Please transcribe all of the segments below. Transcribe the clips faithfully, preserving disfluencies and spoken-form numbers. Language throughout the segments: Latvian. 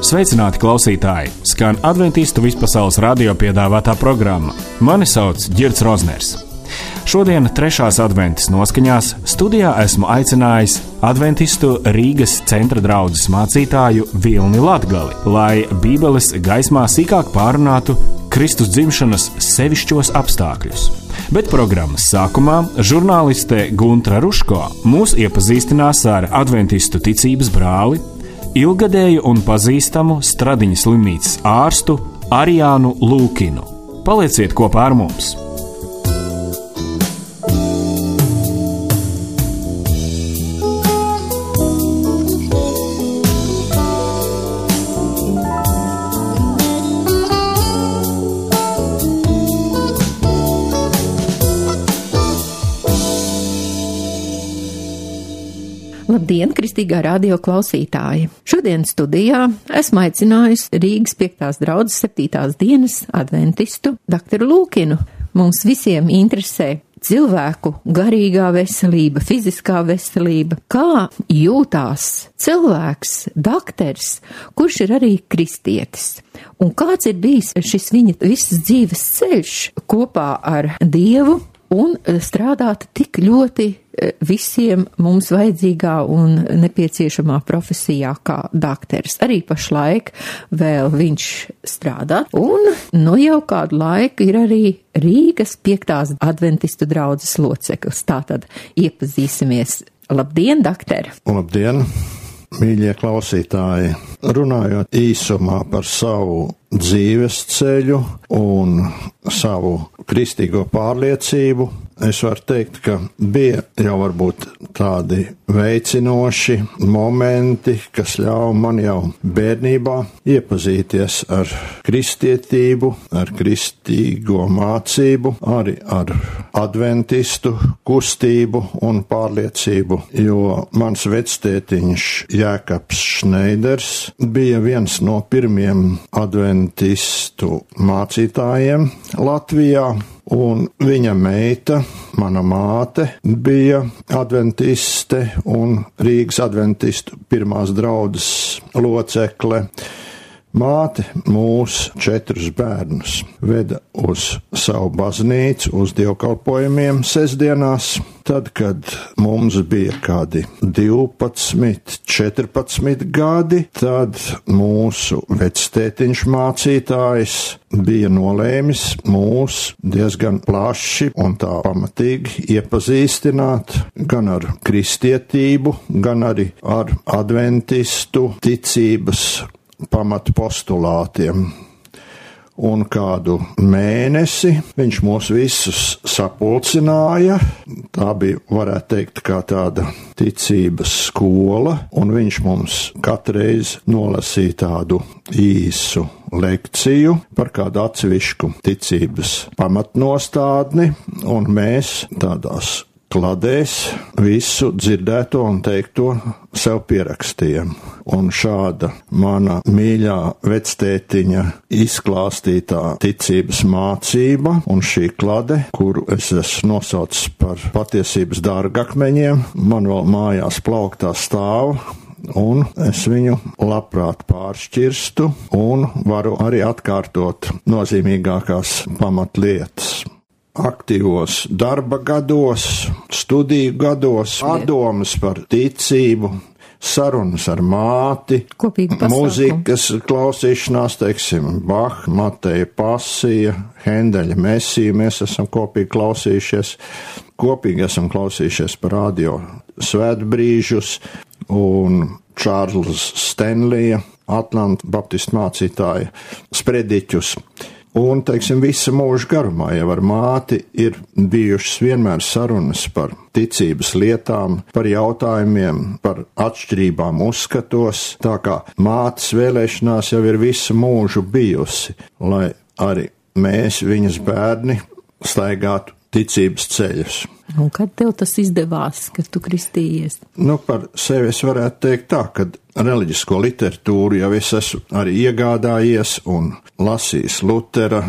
Sveicināti klausītāji! Skan Adventistu vispasaules radio piedāvātā programma. Mani sauc Ģirds Rozners. Šodien trešās adventas noskaņās studijā esmu aicinājis Adventistu Rīgas centra draudzes mācītāju Vilni Latgali, lai Bībeles gaismā sīkāk pārunātu Kristus dzimšanas sevišķos apstākļus. Bet programmas sākumā žurnāliste Guntra Ruško mūs iepazīstinās ar Adventistu ticības brāli, ilgadēju un pazīstamu Stradiņas slimnīcas ārstu Arijānu Lūkinu. Palieciet kopā ar mums! Labdien, kristīgā radio klausītāji! Šodien studijā esmu aicinājusi Rīgas piektās draudzes septītās dienas adventistu doktoru Lūkinu. Mums visiem interesē cilvēku garīgā veselība, fiziskā veselība, kā jūtās cilvēks, doktors, kurš ir arī kristietis. Un kāds ir bijis šis viņa visas dzīves ceļš kopā ar Dievu un strādāt tik ļoti visiem mums vajadzīgā un nepieciešamā profesijā kā doktors. Arī pašlaik vēl viņš strādā, un nu jau kādu laiku ir arī Rīgas piektās adventistu draudzes loceklis. Tātad iepazīsimies. Labdien, doktor! Labdien, mīļie klausītāji! Runājot īsumā par savu dzīves ceļu un savu kristīgo pārliecību, es varu teikt, ka bija jau varbūt tādi veicinoši momenti, kas ļauj man jau bērnībā iepazīties ar kristietību, ar kristīgo mācību, arī ar adventistu kustību un pārliecību, jo mans vectētiņš Jēkabs Šneiders bija viens no pirmiem adventistu mācītājiem Latvijā. Un viņa meita, mana māte, bija adventiste un Rīgas adventistu pirmās draudzes locekle. Māte mūs četrus bērnus veda uz savu baznīcu, uz dievkalpojumiem sestdienās. Tad, kad mums bija kādi divpadsmit, četrpadsmit gadi, tad mūsu vectētiņš mācītājs bija nolēmis mūs diezgan plaši un tā pamatīgi iepazīstināt gan ar kristietību, gan arī ar adventistu ticības pamatpostulātiem. Un kādu mēnesi viņš mūs visus sapulcināja. Tā bija, varētu teikt, kā tāda ticības skola, un viņš mums katreiz nolasīja tādu īsu lekciju par kādu atsevišķu ticības pamatnostādni, un mēs tādās kladēs visu dzirdēto un teikto sev pierakstījām. Un šāda mana mīļā vectētiņa izklāstītā ticības mācība un šī klade, kuru es esmu nosaucis par patiesības dārgakmeņiem, man vēl mājās plauktā stāv, un es viņu labprāt pāršķirstu un varu arī atkārtot nozīmīgākās pamatlietas. Aktīvos darba gados, studiju gados, pārdomas par ticību, sarunas ar māti, mūzikas klausīšanās, teiksim, Bach, Mateja Pasija, Hendeļa Mesija, mēs esam kopīgi klausījušies, kopīgi esam klausījušies par radio svētbrīžus un Čārlza Stenlija, Atlanta baptistu mācītāja sprediķus. Un, teiksim, visa mūža garumā jau ar māti ir bijušas vienmēr sarunas par ticības lietām, par jautājumiem, par atšķirībām uzskatos, tā kā mātes vēlēšanās jau ir visu mūžu bijusi, lai arī mēs, viņas bērni, staigātu ticības ceļus. Un kad tev tas izdevās, ka tu kristījies? Nu, par sevi es varētu teikt tā, ka reliģisko literatūru jau es esmu arī iegādājies un lasījis Lutera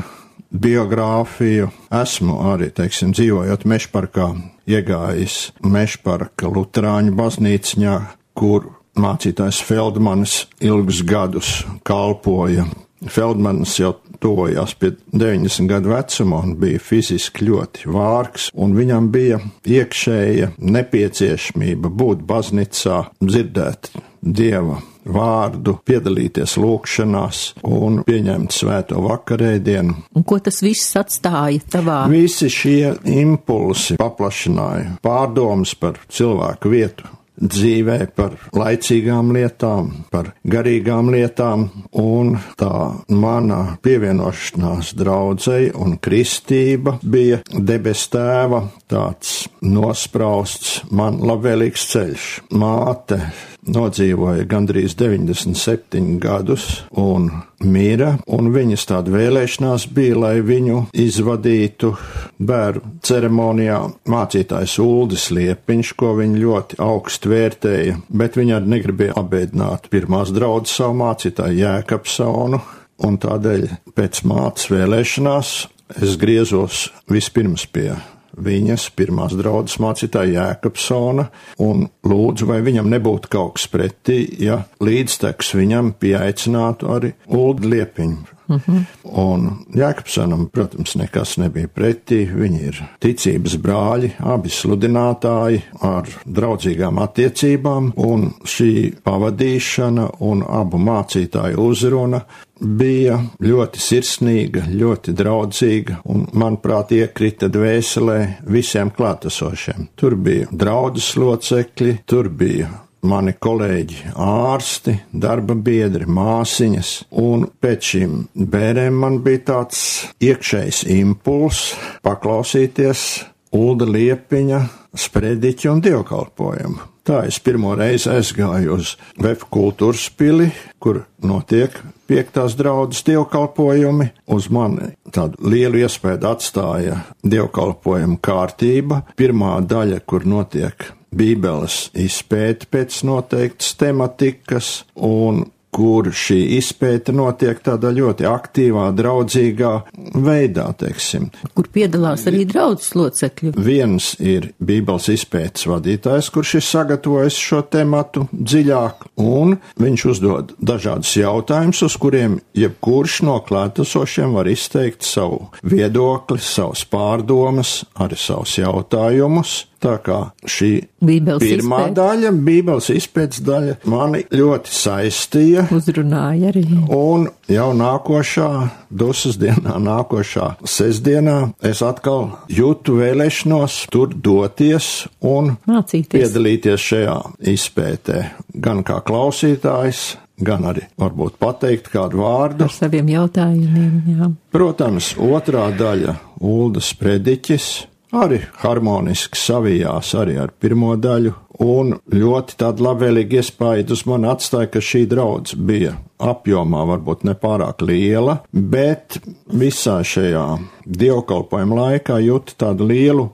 biogrāfiju. Esmu arī, teiksim, dzīvojot Mežparkā, iegājis Mežparka luterāņu baznīciņā, kur mācītājs Feldmanis ilgus gadus kalpoja. Feldmanis jau tojās pie deviņdesmit gadu vecuma un bija fiziski ļoti vārgs, un viņam bija iekšēja nepieciešamība būt baznicā, dzirdēt Dieva vārdu, piedalīties lūgšanās un pieņemt svēto vakarēdienu. Un ko tas viss atstāja tavā? Visi šie impulsi paplašināja pārdomas par cilvēku vietu dzīvē, par laicīgām lietām, par garīgām lietām, un tā mana pievienošanās draudzei un kristība bija debes tēva tāds nosprausts man labvēlīgs ceļš. Māte nodzīvoja gandrīz deviņdesmit septiņus gadus un mira, un viņas tāda vēlēšanās bija, lai viņu izvadītu bērnu ceremonijā mācītājs Uldis Liepiņš, ko viņa ļoti augstu vērtēja, bet viņa arī negribēja apbēdināt pirmās draudzes savu mācītāju Jēkabsonu, un tādēļ pēc mātes vēlēšanās es griezos vispirms pie viņas pirmās draudzes mācītāja Jēkabsona un lūdzu, vai viņam nebūtu kaut kas pretī, ja līdztekus viņam pieaicinātu arī Uldi Liepiņu. Mm-hmm. Un Jēkabsonam, protams, nekas nebija pretī, viņi ir ticības brāļi, abi sludinātāji ar draudzīgām attiecībām, un šī pavadīšana un abu mācītāju uzruna bija ļoti sirsnīga, ļoti draudzīga, un, manuprāt, iekrita dvēselē visiem klātesošiem. Tur bija draudzes locekļi, tur bija mani kolēģi ārsti, darba biedri, māsiņas, un pēc šīm bērēm man bija tāds iekšējs impuls paklausīties Ulda Liepiņa sprediķi un dievkalpojumu. Tā es pirmo reizi aizgāju uz Vefu kultūras pili, kur notiek piektās draudzes dievkalpojumi. Uz mani tādu lielu iespēju atstāja dievkalpojumu kārtība. Pirmā daļa, kur notiek Bībeles izpēte pēc noteiktas tematikas, un kur šī izpēte notiek tādā ļoti aktīvā, draudzīgā veidā, teiksim. Kur piedalās arī draudzes locekļi. Viens ir Bībeles izpētes vadītājs, kurš ir sagatavojis šo tematu dziļāk, un viņš uzdod dažādus jautājumus, uz kuriem jebkurš no klātesošiem var izteikt savu viedokli, savas pārdomas, arī savus jautājumus. Tā kā šī Bībeles pirmā izpēt. daļa, Bībeles izpētes daļa, mani ļoti saistīja. Uzrunāja arī. Un jau nākošā, dusas dienā, nākošā sestdienā, es atkal jūtu vēlēšanos tur doties un mācīties, piedalīties šajā izpētē. Gan kā klausītājs, gan arī varbūt pateikt kādu vārdu. Ar saviem jautājumiem, jā. Protams, otrā daļa, Uldas prediķis, arī harmoniski savijās arī ar pirmo daļu, un ļoti tāda labvēlīga iespēja uz mani atstāja, ka šī draudze bija apjomā varbūt nepārāk liela, bet visā šajā dievkalpojuma laikā jūtu tādu lielu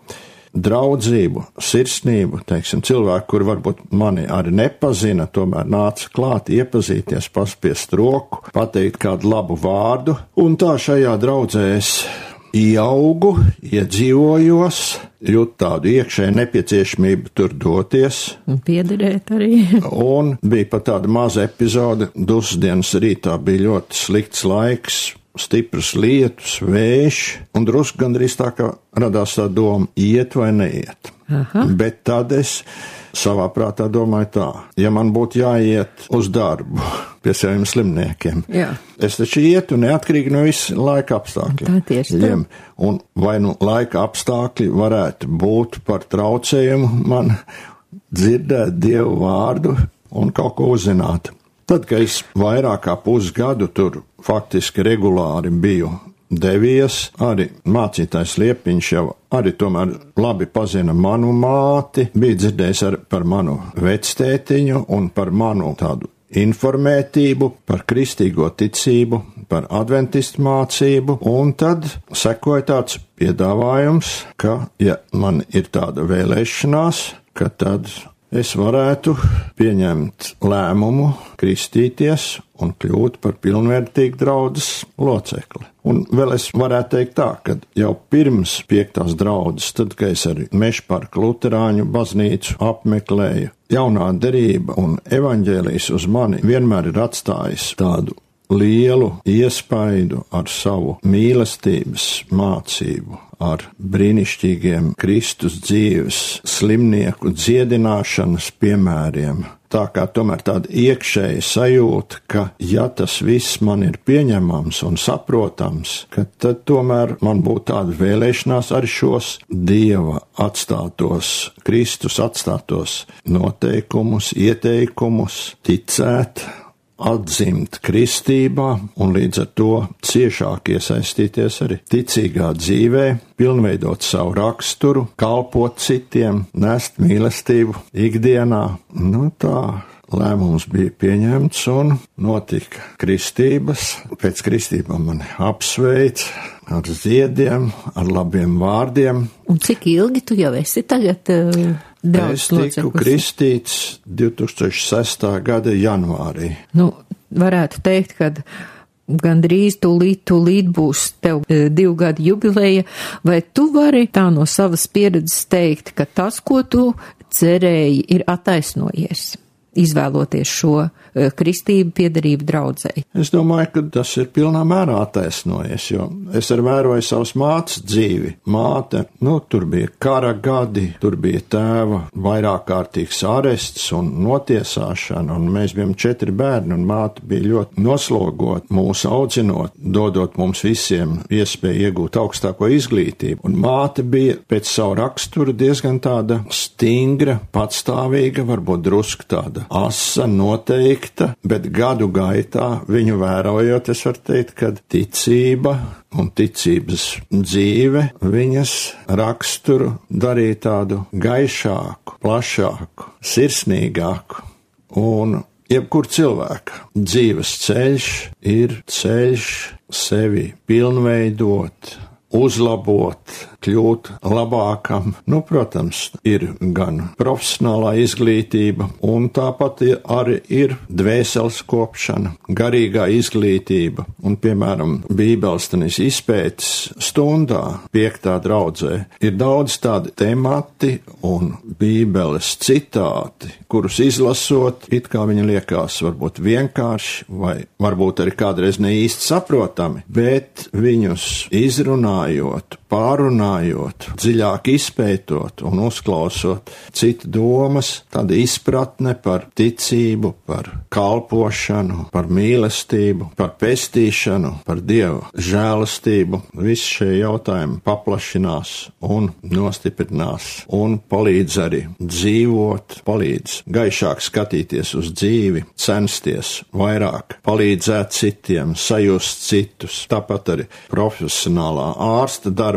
draudzību, sirsnību, teiksim, cilvēku, kur varbūt mani arī nepazina, tomēr nāca klāt, iepazīties, paspiest roku, pateikt kādu labu vārdu, un tā šajā draudzē es ieaugu, iedzīvojos, jūt tādu iekšēju nepieciešamību tur doties. Un piederēt arī. Un bija pat tāda maza epizode, dusdienas rītā bija ļoti slikts laiks, stiprs lietus, vējš, un drusku gandrīz tā, ka radās tā doma, iet vai neiet. Aha. Bet tad es savā prātā domāju tā, ja man būtu jāiet uz darbu pie saviem slimniekiem, jā. Es taču ietu neatkarīgi no visu laika apstākļiem. Tā tieši tā. Un vai nu laika apstākļi varētu būt par traucējumu man dzirdēt Dievu vārdu un kaut ko uzzināt. Tad, kad es vairāk kā pusgadu tur faktiski regulāri biju devies, arī mācītājs Liepiņš jau arī tomēr labi pazina manu māti, bija dzirdējis arī par manu vectētiņu un par manu tādu informētību, par kristīgo ticību, par adventistu mācību, un tad sekoja tāds piedāvājums, ka, ja man ir tāda vēlēšanās, ka tad es varētu pieņemt lēmumu kristīties un kļūt par pilnvērtīgu draudzes locekli. Un vēl es varētu teikt tā, ka jau pirms piektās draudzes, tad, kad es arī Mežparka luterāņu baznīcu apmeklēju, jaunā derība un evaņģēlijs uz mani vienmēr ir atstājis tādu lielu iespaidu ar savu mīlestības mācību, ar brīnišķīgiem Kristus dzīves slimnieku dziedināšanas piemēriem. Tā kā tomēr tāda iekšēja sajūta, ka ja tas viss man ir pieņemams un saprotams, ka tad tomēr man būtu tāda vēlēšanās arī šos Dieva atstātos, Kristus atstātos noteikumus, ieteikumus ticēt, atzimt kristībā un līdz ar to ciešāk iesaistīties arī ticīgā dzīvē, pilnveidot savu raksturu, kalpot citiem, nest mīlestību ikdienā. Nu tā, lēmums bija pieņemts un notika kristības. Pēc kristībām mani apsveic ar ziediem, ar labiem vārdiem. Un cik ilgi tu jau esi tagad uh, draudzes loceklis? Es tiku kristīts divi tūkstoši sestā gada janvārī. Nu, varētu teikt, ka gandrīz tūlīt, tūlīt būs tev uh, divu gadu jubileja, vai tu vari tā no savas pieredzes teikt, ka tas, ko tu cerēji, ir attaisnojies, izvēloties šo uh, kristību piederību draudzei? Es domāju, ka tas ir pilnā mērā attaisnojies, jo es arī vēroju savas mātes dzīvi. Māte, nu, tur bija kara gadi, tur bija tēva vairāk kārtīgs arests un notiesāšana, un mēs bijām četri bērni, un māte bija ļoti noslogot mūs audzinot, dodot mums visiem iespēju iegūt augstāko izglītību. Un māte bija pēc savu raksturu diezgan tāda stingra, patstāvīga, varbūt drusku tāda asa, noteikta, bet gadu gaitā viņu vērojot, es varu teikt, ka ticība un ticības dzīve viņas raksturu darīja tādu gaišāku, plašāku, sirsnīgāku. Un jebkur cilvēka dzīves ceļš ir ceļš sevi pilnveidot, uzlabot, kļūt labākam. Nu, protams, ir gan profesionālā izglītība, un tāpat arī ir dvēseles kopšana, garīgā izglītība. Un, piemēram, Bībeles tanis izpētes stundā, piektā draudzē, ir daudz tādi temati un Bībeles citāti, kurus izlasot, it kā viņi liekas varbūt vienkārši, vai varbūt arī kādreiz ne īsti saprotami, bet viņus izrunājot, pārunājot, dziļāk izpētot un uzklausot citu domas, tāda izpratne par ticību, par kalpošanu, par mīlestību, par pestīšanu, par Dieva žēlastību. Visi šie jautājumi paplašinās un nostiprinās un palīdz arī dzīvot, palīdz gaišāk skatīties uz dzīvi, censties vairāk palīdzēt citiem, sajust citus. Tāpat arī profesionālā ārsta darbā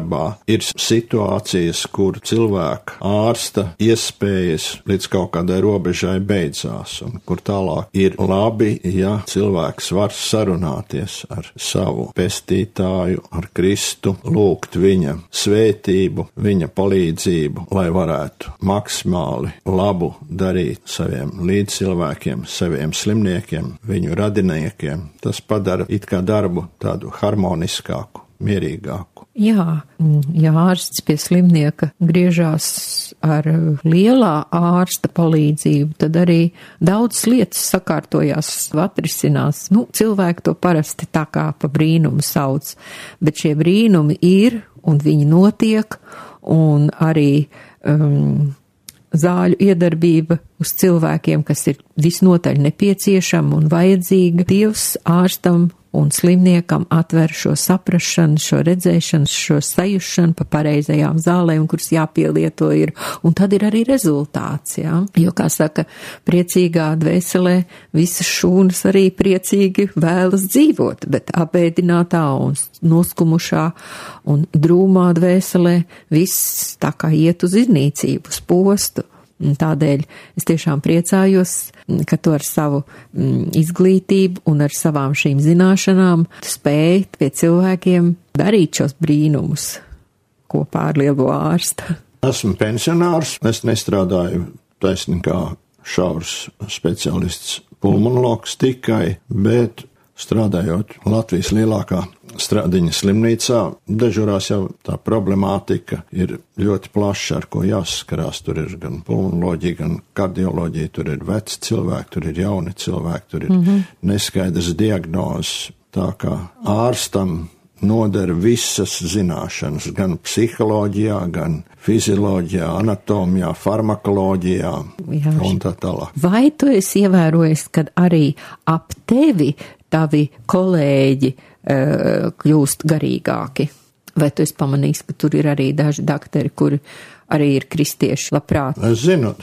ir situācijas, kur cilvēka ārsta iespējas līdz kaut kādai robežai beidzās, un kur tālāk ir labi, ja cilvēks var sarunāties ar savu pestītāju, ar Kristu, lūgt viņa svētību, viņa palīdzību, lai varētu maksimāli labu darīt saviem līdzcilvēkiem, saviem slimniekiem, viņu radiniekiem. Tas padara it kā darbu tādu harmoniskāku, mierīgāku. Jā, ja ārsts pie slimnieka griežās ar lielā ārsta palīdzību, tad arī daudz lietas sakārtojās, atrisinās. Nu, cilvēki to parasti tā kā pa brīnumu sauc, bet šie brīnumi ir un viņi notiek, un arī um, zāļu iedarbība uz cilvēkiem, kas ir visnotaļ nepieciešama un vajadzīga. Dievs ārstam un slimniekam atver šo saprašanu, šo redzēšanu, šo sajušanu pa pareizajām zālēm, kuras jāpielieto ir, un tad ir arī rezultāts, jā. Jo, kā saka, priecīgā dvēselē visas šūnas arī priecīgi vēlas dzīvot, bet apēdinātā un noskumušā un drūmā dvēselē viss tā kā iet uz iznīcību, uz postu. Tādēļ es tiešām priecājos, ka tu ar savu mm, izglītību un ar savām šīm zināšanām spēj pie cilvēkiem darīt šos brīnumus kopā ar lielo ārstu. Esmu pensionārs, es nestrādāju taisni kā šaurs speciālists pulmonologs tikai, bet strādājot Latvijas lielākā Stradiņa slimnīcā, dežurās jau tā problemātika ir ļoti plaša, ar ko jāsaskarās. Tur ir gan pulmonoloģija, gan kardioloģija, tur ir veci cilvēki, tur ir jauni cilvēki, tur ir mm-hmm. neskaidrs diagnozes. Tā kā ārstam noder visas zināšanas, gan psiholoģijā, gan fizioloģijā, anatomijā, farmakoloģijā Jā, un tā tālāk. Vai tu esi ievērojis, kad arī ap tevi tavi kolēģi uh, kļūst garīgāki? Vai tu esi pamanījis, ka tur ir arī daži daktari, kuri arī ir kristieši labprāt? Es zinu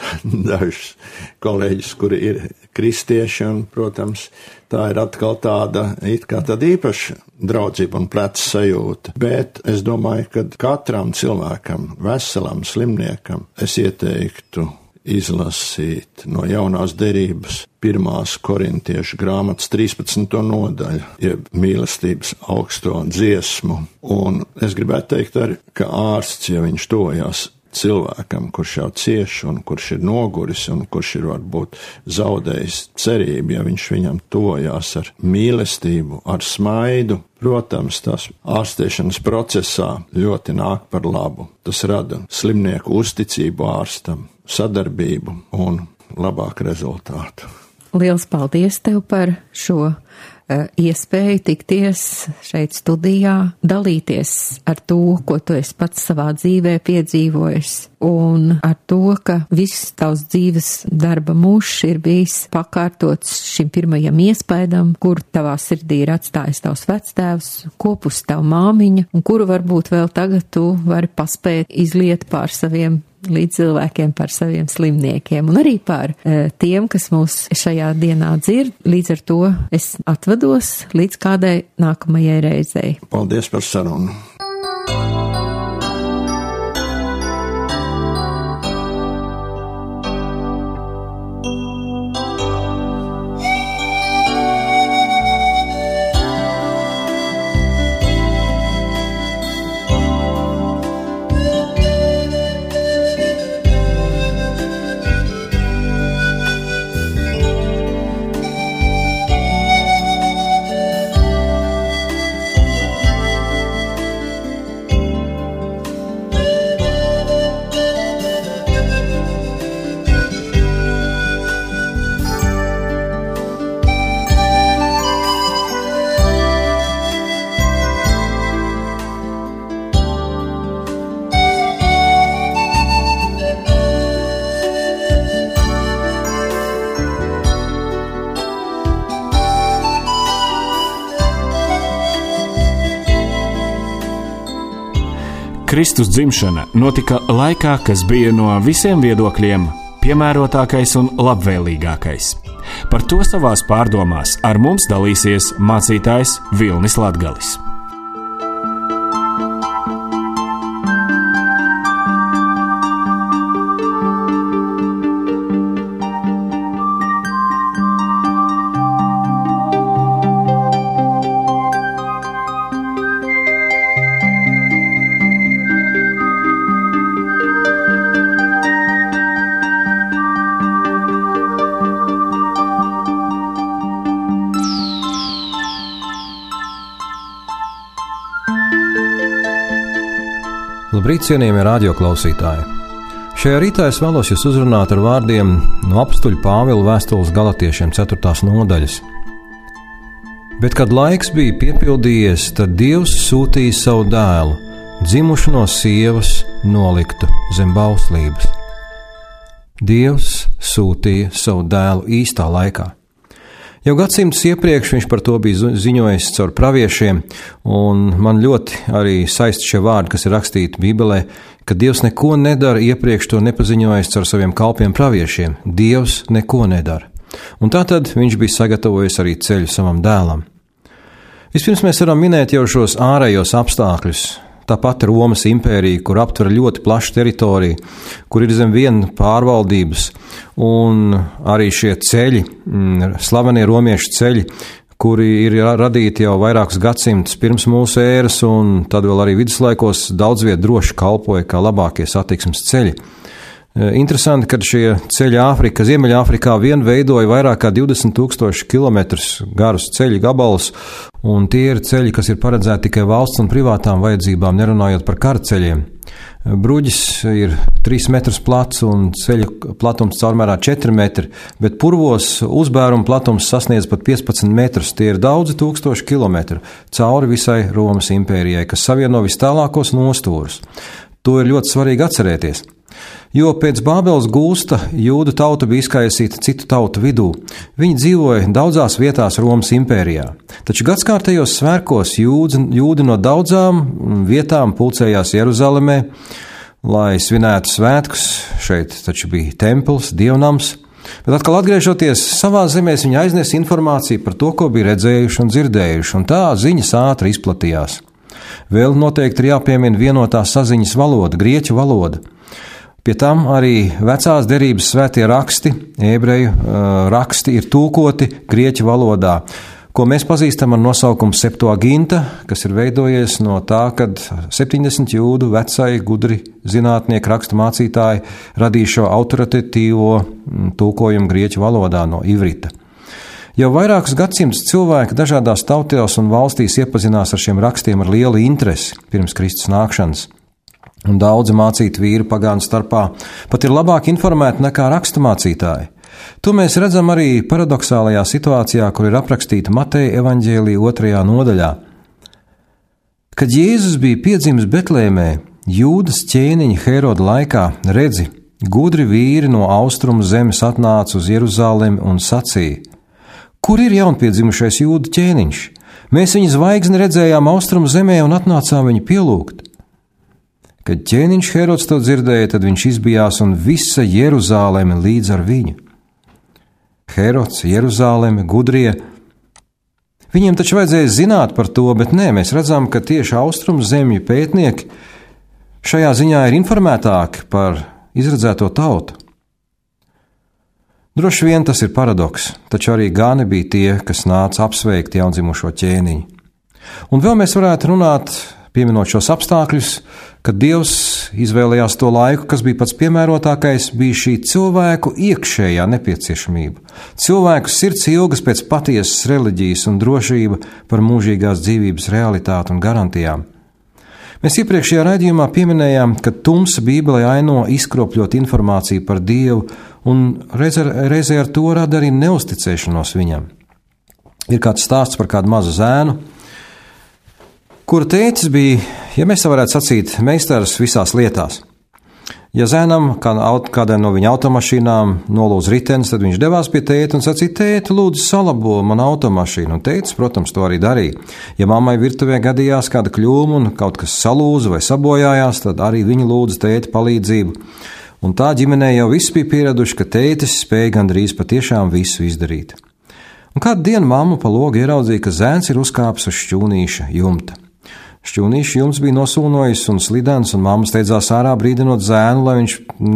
dažus kolēģis, kuri ir kristieši, un, protams, tā ir atkal tāda, it kā tāda īpaša draudzība un pleca sajūta. Bet es domāju, ka katram cilvēkam, veselam slimniekam, es ieteiktu izlasīt no jaunās derības pirmās korintiešu grāmatas trīspadsmito nodaļu, jeb mīlestības augsto dziesmu. Un es gribētu teikt arī, ka ārsts, ja viņš tojās cilvēkam, kurš jau cieš un kurš ir noguris un kurš ir varbūt zaudējis cerību, ja viņš viņam tojās ar mīlestību, ar smaidu, protams, tas ārstēšanas procesā ļoti nāk par labu. Tas rada slimnieku uzticību ārstam, sadarbību un labāku rezultātu. Liels paldies tev par šo uh, iespēju tikties šeit studijā, dalīties ar to, ko tu esi pats savā dzīvē piedzīvojis, un ar to, ka viss tavs dzīves darba mūžs ir bijis pakārtots šim pirmajam iespaidam, kur tavā sirdī ir atstājis tavs vectēvs, kopus tavu māmiņa, un kuru varbūt vēl tagad tu vari paspēt izliet pār saviem līdz cilvēkiem, par saviem slimniekiem un arī par e, tiem, kas mūs šajā dienā dzird. Līdz ar to es atvados līdz kādai nākamajai reizei. Paldies par sarunu. Kristus dzimšana notika laikā, kas bija no visiem viedokļiem piemērotākais un labvēlīgākais. Par to savās pārdomās ar mums dalīsies mācītājs Vilnis Latgalis. Labrīt, cienījamie radioklausītāji! Šajā rītā es vēlos jūs uzrunāt ar vārdiem no apustuļa Pāvila vēstules Galatiešiem ceturtās nodaļas. Bet, kad laiks bija piepildījies, tad Dievs sūtīja savu dēlu, dzimušu no sievas, noliktu zem bauslības. Dievs sūtīja savu dēlu īstā laikā. Jau gadsimtus iepriekš viņš par to bija ziņojis caur praviešiem, un man ļoti arī saist šie vārdi, kas ir rakstīti Bībelē, ka Dievs neko nedara iepriekš to nepaziņojis caur saviem kalpiem praviešiem. Dievs neko nedara. Un tātad viņš bija sagatavojis arī ceļu savam dēlam. Vispirms mēs varam minēt jau šos ārējos apstākļus. Tāpat Romas impērija, kur aptver ļoti plašu teritoriju, kur ir zem viena pārvaldības, un arī šie ceļi, slavenie romiešu ceļi, kuri ir radīti jau vairākus gadsimtus pirms mūsu ēras, un tad vēl arī viduslaikos daudz viet droši kalpoja kā labākie satiksmes ceļi. Interesanti, ka šie ceļi Āfrika, Ziemeļāfrikā vien veidoja vairāk kā divdesmit tūkstoši kilometrus garus ceļu gabalus, un tie ir ceļi, kas ir paredzēti tikai valsts un privātām vajadzībām, nerunājot par karceļiem. Bruģis ir trīs metrus plats un ceļa platums caurmērā četri metri, bet purvos uzbēruma platums sasniedz pat piecpadsmit metrus. Tie ir daudzi tūkstoši kilometru cauri visai Romas impērijai, kas savieno vis tālākos nostūrus. To ir ļoti svarīgi atcerēties. Jo pēc Bābeles gūsta jūdu tauta bija izkaisīta citu tautu vidū. Viņi dzīvoja daudzās vietās Romas impērijā. Taču gadskārtējos svētkos jūdi, jūdi no daudzām vietām pulcējās Jeruzalemē, lai svinētu svētkus. Šeit taču bija templis, dievnams. Bet atkal atgriežoties savā zemēs, viņi aiznes informāciju par to, ko bija redzējuši un dzirdējuši, un tā ziņas ātri izplatījās. Vēl noteikti ir jāpiemina vienotā saziņas valoda, grieķu valoda. Pie tam arī vecās derības svētie raksti, ebreju uh, raksti ir tūkoti grieķu valodā, ko mēs pazīstam ar nosaukumu Septuaginta, kas ir veidojies no tā, kad septiņdesmit jūdu vecai gudri zinātnieki rakstu mācītāji radīja šo autoritatīvo tūkojumu grieķu valodā no ivrita. Jau vairākus gadsimtus cilvēki dažādās tautās un valstīs iepazinās ar šiem rakstiem ar lielu interesi pirms Kristus nākšanas. Un daudzi mācīti vīri pagānu starpā pat ir labāk informēti nekā raksturmācītāji. To mēs redzam arī paradoxālajā situācijā, kur ir aprakstīta Mateja evaņģēlija otrajā nodaļā. Kad Jēzus bija piedzimis Betlēmē, Jūdas ķēniņa Heroda laikā, redzi, gudri vīri no austrumu zemes atnāca uz Jeruzalemi un sacīja: Kur ir jaunpiedzimušais Jūdu ķēniņš? Mēs viņa zvaigzni redzējām austrumu zemē un atnācām viņu pielūgt. Kad ķēniņš Herods to dzirdēja, tad viņš izbijās un visa Jeruzaleme līdz ar viņu. Herods, Jeruzaleme, gudrie. Viņiem taču vajadzēja zināt par to, bet nē, mēs redzam, ka tieši austrumu zemju pētnieki šajā ziņā ir informētāki par izredzēto tautu. Droši vien tas ir paradoks, taču arī gani bija tie, kas nāca apsveikt jaundzimušo ķēniņu. Un vēl mēs varētu runāt, pieminot šos apstākļus, kad Dievs izvēlējās to laiku, kas bija pats piemērotākais, bija šī cilvēku iekšējā nepieciešamība. Cilvēku sirds ilgas pēc patiesas reliģijas un drošība par mūžīgās dzīvības realitāti un garantijām. Mēs iepriekšējā raidījumā pieminējām, ka tumsa Bībelē aino izkropļot informāciju par Dievu un reizē ar to rada arī neusticēšanos viņam. Ir kāds stāsts par kādu mazu zēnu, kura tētis bija, ja mēs tā varētu sacīt, meistars visās lietās. Ja zēnam kādai no viņa automašīnām nolūdz ritenis, tad viņš devās pie tēta un sacīja: Tēti, lūdzu, salabo man automašīnu. Un tētis, protams, to arī darīja. Ja mammai virtuvē gadījās kāda kļūma un kaut kas salūza vai sabojājās, tad arī viņa lūdza tēti palīdzību. Un tā ģimenē jau viss bija pieraduši, ka tētis spēja gandrīz patiešām visu izdarīt. Un kādu dienu mamma pa logu ieraudzīja, ka zēns ir uzkāpis uz šķūnīša jumta. Šķūnīša jumts bija nosulnojis un slidens, un mamma steidzās ārā brīdinot zēnu, lai viņš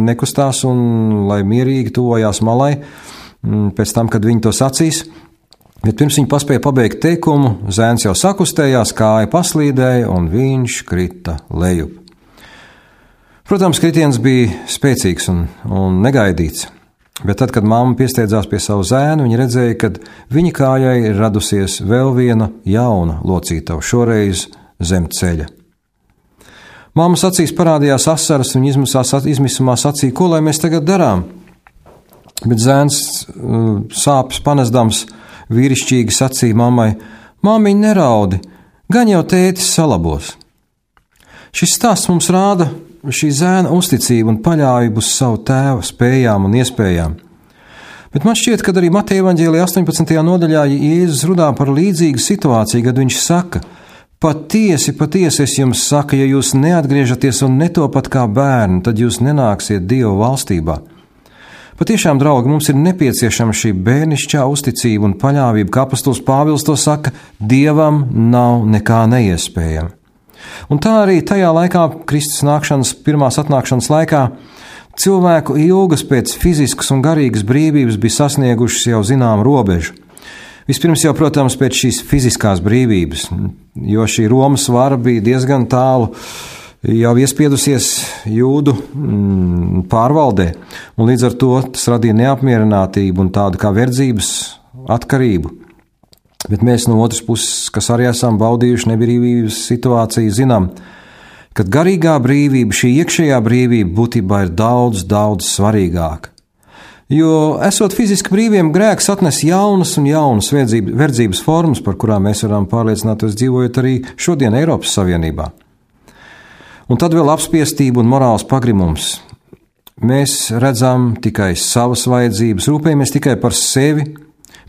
nekustās un lai mierīgi tuvojās malai pēc tam, kad viņi to sacīs. Bet pirms viņi paspēja pabeigt teikumu, zēns jau sakustējās, kāja paslīdēja un viņš krita lejup. Protams, kritiens bija spēcīgs un, un negaidīts, bet tad, kad mamma piesteidzās pie savu zēnu, viņa redzēja, ka viņa kājai ir radusies vēl viena jauna locītava, šoreiz zem ceļa. Māmas acīs parādījās asaras, viņa izmisumā sacīja: Ko lai mēs tagad darām? Bet zēns sāpes panesdams vīrišķīgi sacīja mammai: Māmiņ, neraudi, gan jau tētis salabos. Šis stāsts mums rāda šī zēna uzticību un paļāvību uz savu tēva spējām un iespējām. Bet man šķiet, ka arī Mateja evaņģēlijā astoņpadsmitajā nodaļā Jēzus runā par līdzīgu situāciju, kad viņš saka: Patiesi, patiesi es jums saku, ja jūs neatgriežaties un netopat kā bērni, tad jūs nenāksiet Dieva valstībā. Patiešām, draugi, mums ir nepieciešama šī bērnišķā uzticība un paļāvība, kā apostols Pāvils to saka: Dievam nav nekā neiespējama. Un tā arī tajā laikā, Kristus nākšanas, pirmās atnākšanas laikā, cilvēku ilgas pēc fiziskas un garīgas brīvības bija sasniegušas jau zinām robežu. Vispirms jau, protams, pēc šīs fiziskās brīvības, jo šī Romas vara bija diezgan tālu jau iespiedusies jūdu mm, pārvaldē, un līdz ar to tas radīja neapmierinātību un tādu kā verdzības atkarību. Bet mēs no otras puses, kas arī esam baudījuši nebrīvības situāciju, zinām, ka garīgā brīvība, šī iekšējā brīvība būtībā ir daudz, daudz svarīgāka. Jo, esot fiziski brīviem, grēks atnes jaunas un jaunas verdzības formas, par kurām mēs varam pārliecināties dzīvojot arī šodien Eiropas Savienībā. Un tad vēl apspiestība un morāls pagrimums. Mēs redzam tikai savas vajadzības, rūpējamies tikai par sevi,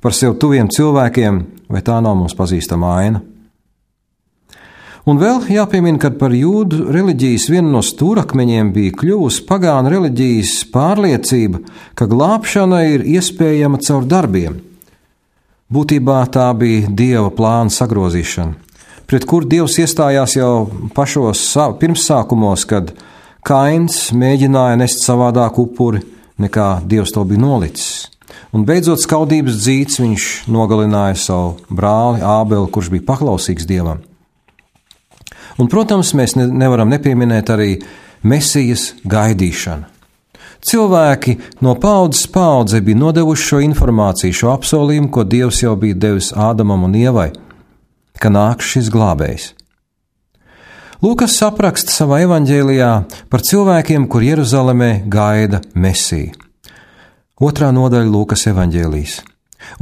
par sev tuviem cilvēkiem, vai tā nav mums pazīstama aina. Un vēl jāpiemina, ka par jūdu reliģijas vienu no stūrakmeņiem bija kļuvusi pagānu reliģijas pārliecība, ka glābšana ir iespējama caur darbiem. Būtībā tā bija Dieva plāna sagrozīšana, pret kur Dievs iestājās jau pašos pirmsākumos, kad Kains mēģināja nest savādāku upuri, nekā Dievs to bija nolicis. Un beidzot skaudības dzīts viņš nogalināja savu brāli Ābeli, kurš bija paklausīgs Dievam. Un, protams, mēs ne, nevaram nepieminēt arī Mesijas gaidīšanu. Cilvēki no paudzes paudze bija nodevuši šo informāciju, šo apsolījumu, ko Dievs jau bija devis Ādamam un Ievai, ka nāks šis glābējs. Lūkas apraksta savā evaņģēlijā par cilvēkiem, kur Jeruzalemē gaida Mesiju. Otrā nodaļa Lūkas evaņģēlijas.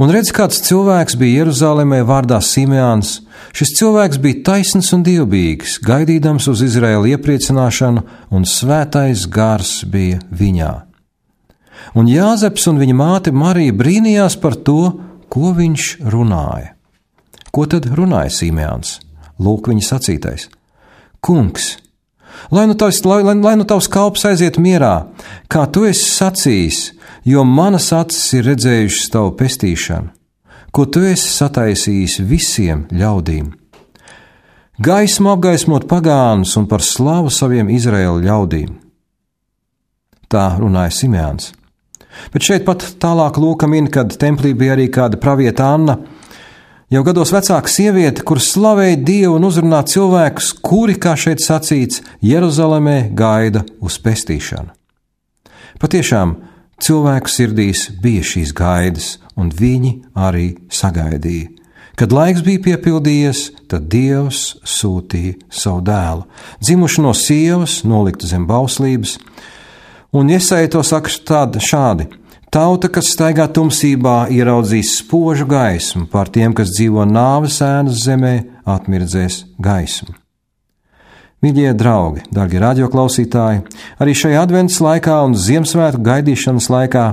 Un redz, kāds cilvēks bija Jeruzalemē vārdā Simeons. Šis cilvēks bija taisns un dievbijīgs, gaidīdams uz Izraēlu iepriecināšanu, un svētais gars bija viņā. Un Jāzeps un viņa māte Marija brīnījās par to, ko viņš runāja. Ko tad runāja Simeons? Lūk, viņa sacītais. Kungs, lai nu tavs, lai, lai, lai nu tavs kalps aiziet mierā, kā tu esi sacījis, jo manas acis ir redzējušas tavu pestīšanu, ko tu esi sataisījis visiem ļaudīm. Gaismu apgaismot pagānus un par slavu saviem Izraēla ļaudīm. Tā runāja Simeons. Bet šeit pat tālāk Lūka min, kad templī bija arī kāda pravieta Anna, jau gados vecāka sieviete, kur slavēja Dievu un uzrunā cilvēkus, kuri, kā šeit sacīts, Jeruzalemē gaida uz pestīšanu. Patiešām, cilvēku sirdīs bija šīs gaidas, un viņi arī sagaidīja. Kad laiks bija piepildījies, tad Dievs sūtīja savu dēlu, dzimušu no sievas, noliktu zem bauslības, un Jesaja to saka tādi šādi: tauta, kas staigā tumsībā, ieraudzīs spožu gaismu, pār tiem, kas dzīvo nāves ēnas zemē, atmirdzēs gaismu. Mīļie draugi, dārgie radioklausītāji, arī šajā adventas laikā un Ziemassvētku gaidīšanas laikā,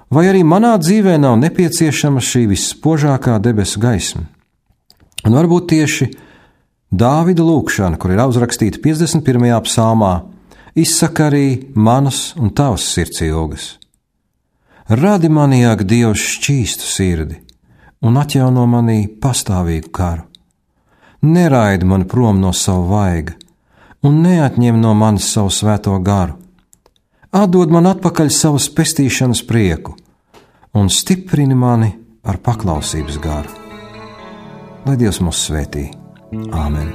vai arī manā dzīvē nav nepieciešama šī visspožākā debesu gaisma? Un varbūt tieši Dāvida lūkšana, kur ir uzrakstīta piecdesmit pirmajā psalmā, izsaka arī manas un tavas sirds ilgas. Radi manī, ak, Dievs, šķīstu sirdi un atjauno manī pastāvīgu karu. Neraidi mani prom no savu vaiga un neatņem no manis savu svēto garu. Atdod man atpakaļ savas pestīšanas prieku un stiprini mani ar paklausības garu. Lai Dievs mūs svētī. Āmen.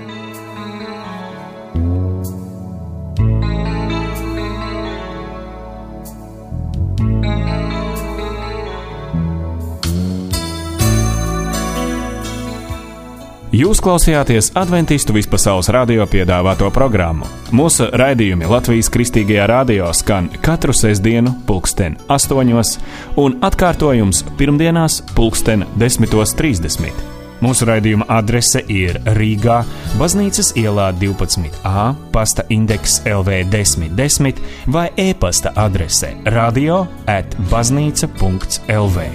Jūs klausījāties Adventistu vispasaules radio piedāvāto programmu. Mūsu raidījumi Latvijas Kristīgajā radio skan katru sestdienu pulksten astoņos un atkārtojums pirmdienās pulksten desmitos trīsdesmit. Mūsu raidījuma adrese ir Rīgā, Baznīcas ielā divpadsmit A, pasta indeks L V desmit desmit vai e-pasta adrese radio at baznīca punkts L V.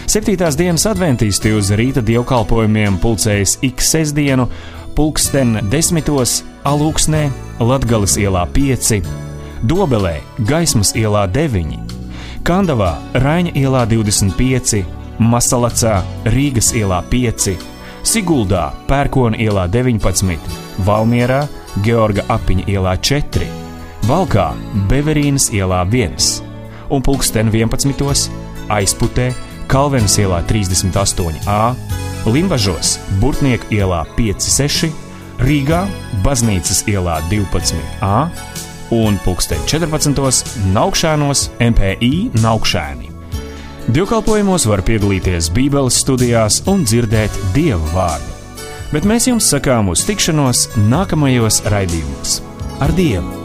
Septītās dienas adventisti uz rīta dievkalpojumiem pulcējas ik sestdienu, pulksten desmitos Alūksnē, Latgales ielā pieci, Dobelē, Gaismas ielā deviņi, Kandavā, Raiņa ielā divdesmit pieci, Masalacā, Rīgas ielā pieci, Siguldā, Pērkona ielā deviņpadsmit, Valmierā, Georga Apiņa ielā četri, Valkā, Beverīnas ielā viens un pulksten vienpadsmitos Aizputē, Kalvenes ielā trīsdesmit astoņi A, Limbažos, Burtnieku ielā pieci seši, Rīgā, Baznīcas ielā divpadsmit A un pulksten četrpadsmitos Naukšēnos M P I Naukšēni. Dievkalpojumos var piedalīties Bībeles studijās un dzirdēt Dieva vārdu. Bet mēs jums sakām uz tikšanos nākamajos raidījumos. Ar Dievu!